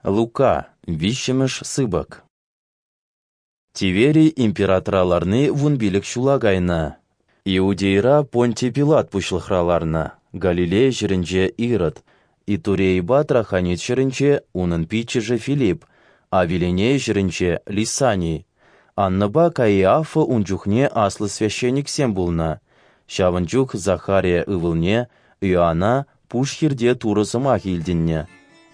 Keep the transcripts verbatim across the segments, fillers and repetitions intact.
Лука, виҫҫӗмӗш сыпӑк. Тиверий императора ларни вунпилӗк ҫула кайнӑ. Иудейӑра Понтий Пилат пуҫлӑхра ларнӑ, Галилея ҫӗрӗнче Ирод, Итурейӑпа Трахонит ҫӗрӗнче унӑн пиччӗшӗ Филипп, Авиленея ҫӗрӗнче Лисаний, Аннӑпа Каиафа ун чухне аслӑ священниксем пулнӑ. Ҫавӑн чух Захария ывӑлне, Иоана, пуш хирте Турӑ сӑмахӗ илтӗннӗ.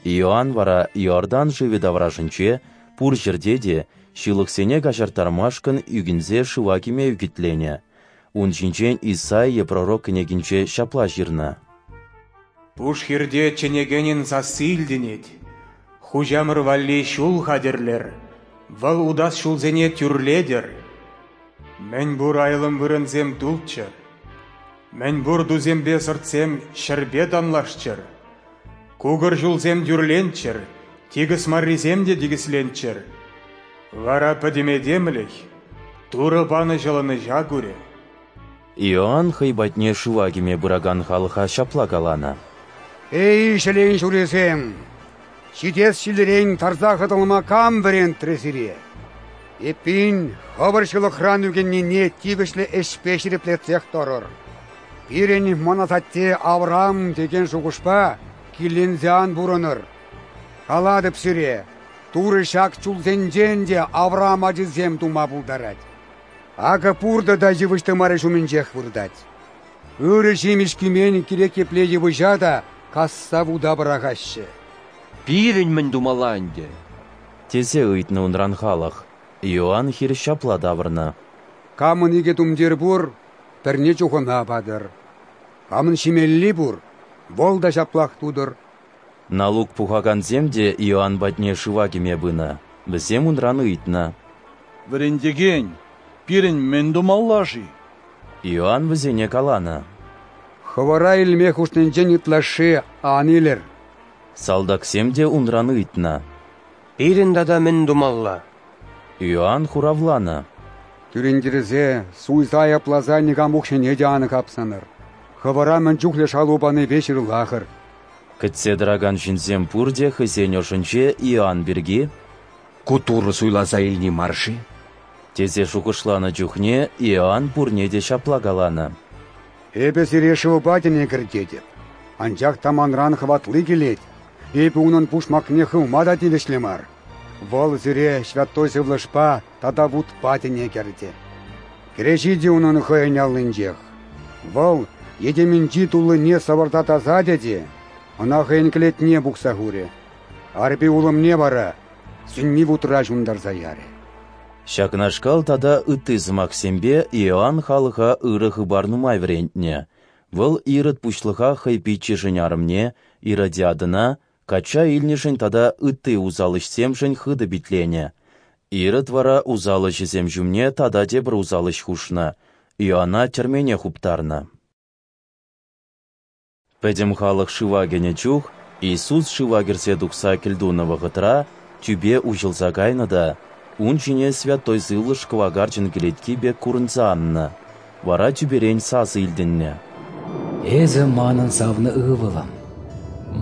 Иоанн вара Иордан шывӗ таврашӗнче пур ҫӗрте те ҫылӑхсене каҫарттармашкӑн ӳкӗнсе шыва кӗме ӳкӗтленӗ. Ун ҫинчен Исаия пророк кӗнекинче ҫапла ҫырнӑ: Пуш хирте чӗнекенӗн сасси илтӗнет: Хуҫамӑр валли ҫул хатӗрлӗр, Вӑл утас ҫулсене тӳрлетӗр. Мӗн пур айлӑм вырӑнсем тулччӑр, мӗн пур тусемпе сӑртсем ҫӗрпе танлашчӑр, кукӑр ҫулсем тӳрленччӗр, тикӗс маррисем те тикӗсленччӗр. Вара пӗтӗм этемлӗх Турӑ панӑ ҫӑлӑнӑҫа курӗ. Иоанн хӑй патне шыва кӗме пыракан халӑха ҫапла каланӑ: Эй, ҫӗлен ҫурисем! Ҫитес ҫилӗрен тарса хӑтӑлма кам вӗрентрӗ сире? Эппин, хӑвӑр ҫылӑхран ӳкӗннине тивӗҫлӗ ӗҫпе ҫирӗплетсех тӑрӑр. Пирӗн мӑн асатте Авраам текен шухӑшпа киленсе ан пурӑнӑр. Калатӑп сире, Турӑ ҫак чулсенчен те Авраам ачисем тума пултарать. Акӑ пуртӑ та йывӑҫ тымарӗ ҫумӗнчех выртать. Ырӑ ҫимӗҫ кӳмен кирек епле йывӑҫа та касса вута пӑрахаҫҫӗ. Пирӗн мӗн тумалла ӗнтӗ? Тесе ыйтнӑ унран халӑх. Иоанн хирӗҫ ҫапла тавӑрнӑ: Камӑн икӗ тумтир пур, пӗрне чухӑна патӑр. Камӑн ҫимелли пур, вӑл та ҫаплах тутӑр. Налук пухакансем те Иоанн патне шыва кӗме пынӑ. Вӗсем унран ыйтнӑ: Вӗрентекен, пирӗн мӗн тумалла-ши? Иоанн вӗсене каланӑ: Хӑвӑра илме хушнинчен ытлашши ан илӗр. Салтаксем те унран ыйтнӑ: Пирӗн тата мӗн тумалла? Иоанн хуравланӑ: Кӳрентерсе, суйса айӑпласа никам укҫине те ан хапсӑнӑр. Хӑвӑра мӗн чухлӗ шалу панипе ҫырлахӑр. Кӗтсе тӑракан ҫынсем пурте хӑйсен ӑшӗнче Иоанн пирки: Ку Турӑ суйласа илни мар-ши? Тесе шухӑшланӑ чухне Иоанн пурне те ҫапла каланӑ: Эпӗ сире шывпа тӗне кӗртетӗп, анчах та манран хӑватли килет, эпӗ унӑн пушмакне хывма та тивӗҫлӗ мар. Вӑл сире Святой Сывлӑшпа тата вутпа тӗне кӗртӗ. Кӗреҫи те унӑн хӑйӗн аллинчех. Вӑл йӗтемӗнчи туллине сӑвӑрса тасатӗ те ӑна хӑйӗн кӗлетне пухса хурӗ. Арпи улӑмне вара сӳнми вутра ҫунтарса ярӗ. Ҫакнашкал тата ытти сӑмахсемпе Иоанн халӑха ырӑ хыпар нумай вӗрентнӗ. Вӑл Ирод пуҫлӑха хӑй пиччӗшӗн арӑмне, Иродиадӑна, качча илнӗшӗн тата ытти усал ӗҫсемшӗн хытӑ питленӗ. Ирод вара усал ӗҫӗсем ҫумне тата тепӗр усал ӗҫ хушнӑ, Иоана тӗрмене хуптарнӑ. Пӗтӗм халӑх шыва кӗнӗ чух Иисус шыва кӗрсе тухса кӗлтунӑ вӑхӑтра тӳпе уҫӑлса кайнӑ та, Ун ҫине Святой Сывлӑш кӑвакарчӑн кӗлетки пек курӑнса аннӑ. Вара тӳперен сасӑ илтӗннӗ: Эсӗ Манӑн савнӑ Ывӑлӑм,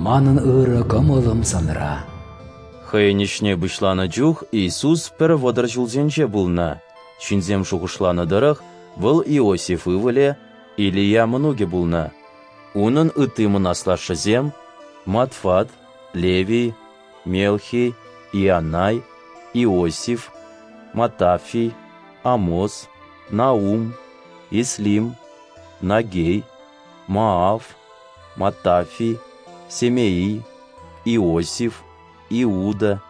Манӑн ырӑ кӑмӑлӑм Санра. Хӑйӗн ӗҫне пуҫланӑ чух Иисус пӗр вӑтӑр ҫулсенче пулнӑ. Ҫынсем шухӑшланӑ тӑрӑх, вӑл Иосиф ывӑлӗ, Илия мӑнукӗ пулнӑ. Унӑн ытти мӑн аслашшӗсем Матфат, Левий, Мелхий, Ианай, Иосиф, Матафий, Амос, Наум, Еслим, Наггей, Мааф, Маттафий, Семеий, Иосиф, Иуда,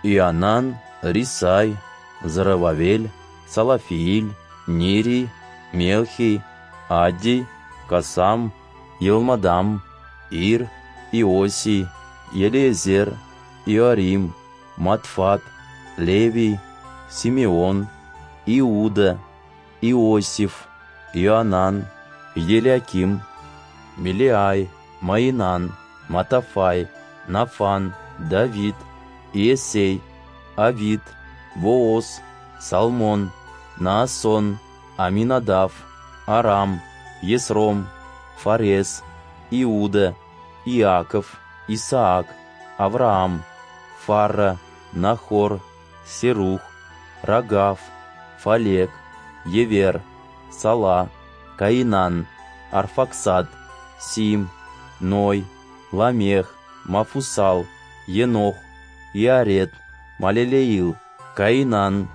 Ионан, Рисай, Зоровавель, Салафиил, Нирий, Мелхий, Аддий, Косам, Елмадам, Ир, Иосий, Елиезер, Иорим, Матфат, Левий, Симеон, Иуда, Иосиф, Иоанан, Елиаким, Мелеай, Маинан, Матафай, Нафан, Давид, Иессей, Авид, Вооз, Салмон, Наассон, Аминадав, Арам, Есром, Фарес, Иуда, Иаков, Исаак, Авраам, Фарра, Нахор, Серух, Рагав, Фалек, Евер, Сала, Каинан, Арфаксад, Сим, Ной, Ламех, Мафусал, Енох, Иаред, Малелеил, Каинан,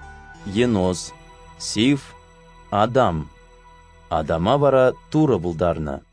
Енос, Сиф, Адам. Адама вара Турӑ пултарнӑ.